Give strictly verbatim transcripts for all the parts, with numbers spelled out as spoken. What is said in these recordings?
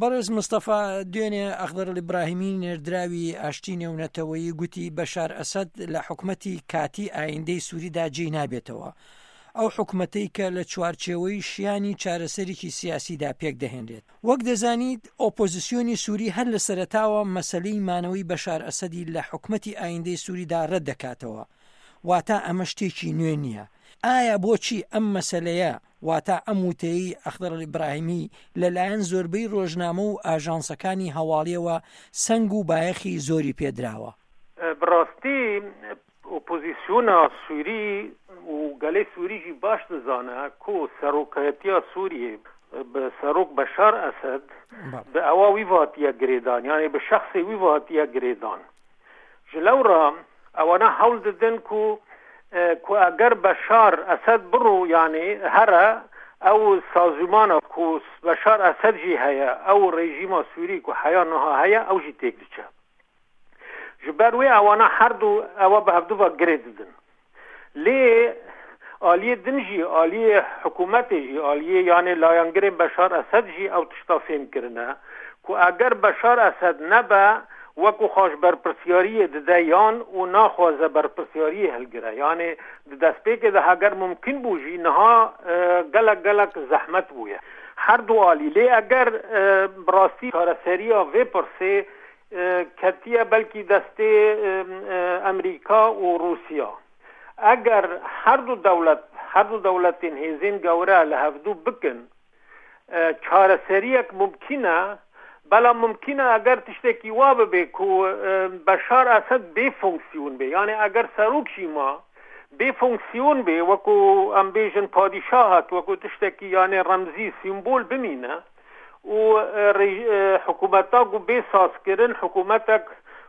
بەڕێز مستەفا، دوێنێ ئەخدەر ئیبراهیمی نێردراوی ئاشتی نێونەتەوەیی گوتی بەشار ئەسەد لە حکومەتی کاتی ئایندەی سووریدا جێی نابێتەوە، ئەو حکومەتەی کە لە چوارچێوەی شیانی چارەسەرێکی سیاسیدا پێک دەهێنرێت. وەک دەزانیت ئۆپۆزیسیۆنی سووری هەر لە سەرەتاوە مەسەلەی مانەوەی بەشار ئەسەدی لە حکومەتی ئایندەی سووریدا ڕەت دەکاتەوە، واتە ئەمە شتێکی نوێ نییە. ئایا بۆچی ئەم مەسەلەیە، واتە ئەم وتەیەی ئەخدەر ئیبراهیمی لەلایەن زۆربەی ڕۆژنامە و ئاژانسەکانی هەواڵیەوە سەنگ و بایەخی زۆری پێدراوە؟ بەڕاستی ئۆپۆزیسیۆنا سووری و گەلی سووریژی باش دەزانە کو سەرۆکایەتیا سووریە بە سەرۆک بەشار ئەسەد بە ئەوە وی هاتیە گرێدان، یعنی بە شخصی وی هاتیە گرێدان. ji lewra ئەوانە هەوڵ دەدەن کو کو ئەگەر بەشار ئەسەد بڕۆ، یعنی هەرە ئەو سازمانە کو بەشار ئەسەد ژی هەیە، ئەو ڕێژیما سووری کو حیا نها هەیە، ئەو ژی تێک دچە. ji ber wê ewana her du ewa bi hevdu ve girê didin. Lê aliyê din jî, aliyê hikûmetê jî, aliyê yanê layangirên Beşar Esed jî ew tişta fêm kirine ku eger Beşar Esed nebe وەکو خۆش berpirsyariyê dide yan û naxwaze berpirsyariyê hilgire. Yani di destpêkê de heger mumkin bû jî niha gelek gelek zehmet bûye. Her du alî lê eger bi rastî çareseriya vê pirsê ketiye belkî destê Amerîka û Rûsya. Eger her du dewlet, her du dewletên hêzên gewre li hevdû bikin, çareseriyek mumkin e, بەڵام ممکنە ئەگەر تشتێکی وا ببێ کو بەشار ئەسەد بێ فۆنکسیۆن بێ، یعنی ئەگەر سەرۆکشی ما بێ فۆنکسیۆن بێ، وەکو ئەم بێژن پادیشاهات، وەکو تشتێکی یعنی ڕەمزی سیمبول بمینە و حکوومەتا گو بێ سازکردن حکوومەتێک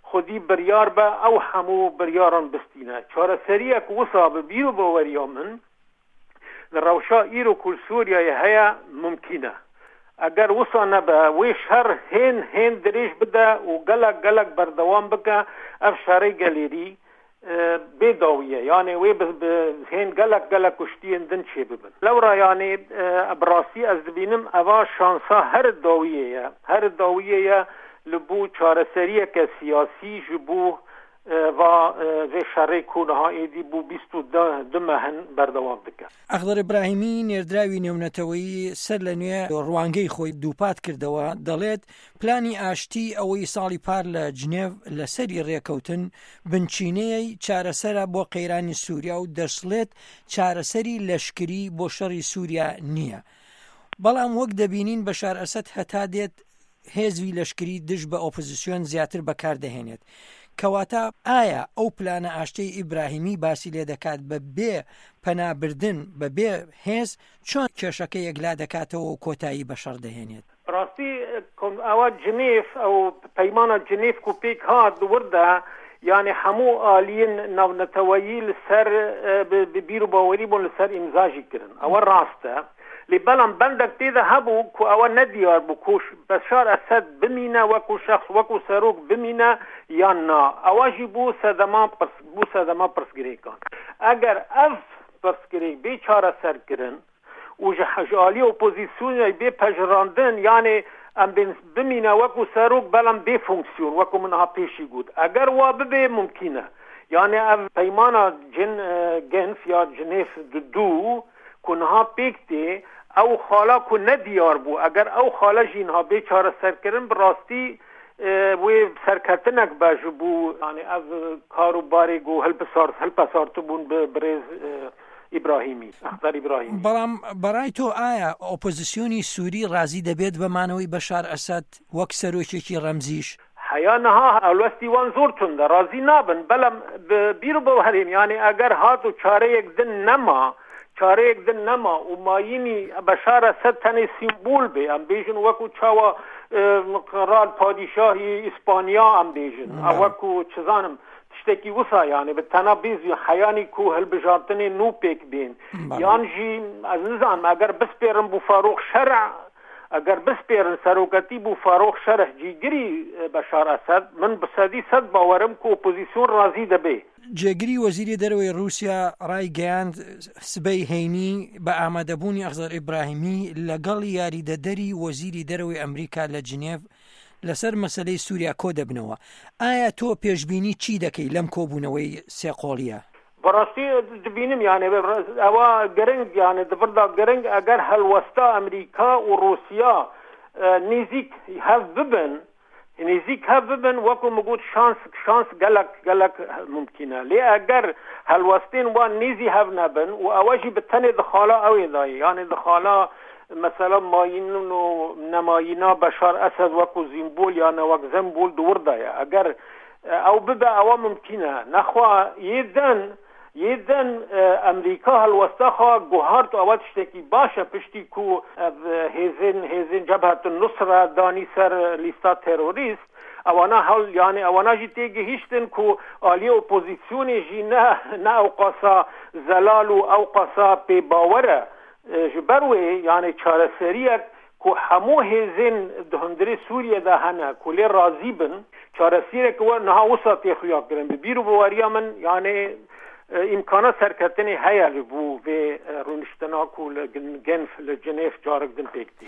خودی بریار بە ئەو هەموو بریاران بستینە. چارەسەریەک وسا بە بیر و باوەریە من لە ڕەوشا ئیرۆ کو سووریایە هەیە ممکنە. ئەگەر وسا نەبە وێ شەڕ هێن هێن درێژ بدە و gelek gelek berdewam bike، ev şerê gelêrî bê dawî yani wê hên gelek gelek kuştiyên din çê bibin. Lewra yani bi rastî ez dibînim eva şansa her dawiyê ye, her dawiyê ye li bû çareseriyeke siyasî ji bo va vê şerê ku niha êdî bû bîst û du mehin berdewam dike. ئەخدەر ئیبراهیمی نێردراوی نێونەتەوەیی سەر لە نوێ ڕوانگەی خۆی دووپات کردەوە، دەڵێت پلانی ئاشتی ئەوەی ساڵی پار لە جنێڤ لەسەری ڕێکەوتن بنچینەیە چارەسەرە بۆ قەیرانی سووریا و دەشڵێت چارەسەری لەشکری بۆ شەڕی سووریا نییە. بەڵام وەک دەبینین بەشار ئەسەد هەتا دێت هێزوی لەشکری دژ بە ئۆپۆزیسیۆن زیاتر بەکاردەهێنێت. کەواتە ئایا ئەو پلانە ئاشتەی ئیبراهیمی باسی لێ دەکات بە بێ پەنابردن بە بێ هێز چۆن کێشەکە یەکلا دەکاتەوە و کۆتایی بە شەڕ دەهێنێت؟ ڕاستی ئەوە جنێف ئەو پەیمانە جنێف کو پێک هات وردە، یعنی هەموو ئالیین ناونەتەوەیی لەسەر بیر و باوەری بوون لەسەر ئیمزاژی کردن، ئەوە ڕاستە. لێ بەڵام بەندێک تێدا هەبوو کو ئەوە نەدیار بوو کو بەشار ئەسەد بمینە وەکو شخص وەکو سەرۆک بمینە یان نا، ئەوە ژی بوو سەدەما بوو سەدەما پرسگرێکان. ئەگەر ئەv پرسگرێک بێ چارەسەرکردن و ji aliyê ئۆپۆزیسیۆنی بێ پەژراندن، یعنی ئەم بمینە وەکو سەرۆک بەڵام بێ فۆنکسیۆن وەکو من ها پێشی گوت، ئەگەر وا ببێ ممکنە. یعنی ئەv پەیمانە جن گەنف یا جنێف دوو کو نها پێک تێ ئەو خاڵا کو نەدیار بوو، ئەگەر ئەو خاڵە ژینها بێ چارەسەرکردن بەڕاستی wê serketinek be ji bû yani ev kar û barê got hilpesartibûn bi birêz ئیبراهیمی ئەخدەر ئیبراهیمی. بەڵام بەڕای تۆ ئایا ئۆپۆزیسیۆنی سووری ڕازی دەبێت بە مانەوەی بەشار ئەسەد وەک سەرۆکێکی ڕەمزیش؟ حیا نها هەڵوەستی وان زۆر توندە، ڕازی نابن. بەڵام بیر بۆ هەرێم یعنی ئەگەر هات و چارەیەک دن نەما، چارەیەک دن نەما و مایینی بەشار ئەسەد تەنێ سیمبول بێ، ئەم بێژن وەکو چاوە قرال پادیشاهی ئیسپانیا ئەم بێژن، ئەو وەکو چزانم تشتێکی وسا، یعنی بە تەنها بێزی حیانی کو هەلبژارتنێ نوو پێک بێن، یان ژی ئەز نزانم ئەگەر بسپێرم بۆ فاروق شەرع ئەگەر بسپێرن سەرۆکەتی بوو فاروق شەرح جیگری بەشار ئەسەد، من بە سەدی سەد باوەرم کە ئۆپۆزیسیۆن ڕازی دەبێ. جێگری وەزیری دەرەوەی ڕووسیا ڕایگەیاند، سبەی هەینی بە ئامادەبوونی ئەخزەر ئیبراهیمی لەگەڵ یاریدەدەری وەزیری دەرەوەی ئەمریکا لە جنێڤ لەسەر مەسەلەی سووریا کۆدەبنەوە. ئایا تۆ پێشبینی چی دەکەی لەم کۆبوونەوەی سێ قۆڵییە؟ بەڕاستی دبینم یانێ ئەوە گرنگ یانێ دبردا گرنگ ئەگەر هەلوەستا ئەمریکا و ڕووسیا نزیک هەv ببن، نزیک هەv ببن، وەکو مگوت شانس شانس گەلک گەلک ممکنە. لێ ئەگەر هەلوەستین وان نزی هەv نەبن و ئەوەژی بتەنێ دخالا ئەوێ دایە، یانێ دخالا مثلا ماین و نەمایینا بەشار ئەسەد وەکو زیمبول یانە وەک زەمبول دووردایە، ئەگەر ئەو ببە ئەوە ممکنە. نەخوا یدن یدن ئەمریکا هەلوەستەخوا گوهارت ئەوە شتێکی باشە پشتی کو هێزن هێزن جەبهەت النوسرە دانی سەر لیستا تێرۆریست، ئەوانە هەڵ یانێ ئەوانە ژی تێگەهیشتن کو ئالیە ئۆپۆزیسیۆنێ ژی نە نە ئەو قاسا زەلال و ئەو قاسا پێباوەرە. ji ber wê یانێ چارەسەریەک ku hemû hêzên di hundirê Sûriyê de hene ku lê razî bin، çareseriyek we niha wisa tê xuya kirin. Bi bîr û baweriya min yanê ئیمکانە سەرکەتنی هەیە li بۆ vê ڕوونشتنا ku li Genf li Genêv carek din pêk tê.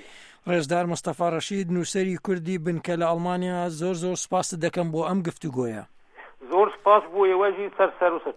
ڕێزدار مستەفا ڕەشید، نووسەری کوردی بنکە لە ئەڵمانیا، زۆر زۆر سوپاست دەکەم بۆ ئەم گفتوگۆیە. زۆر سپاس بۆ ئێوە ژی سەر سەر و سەر.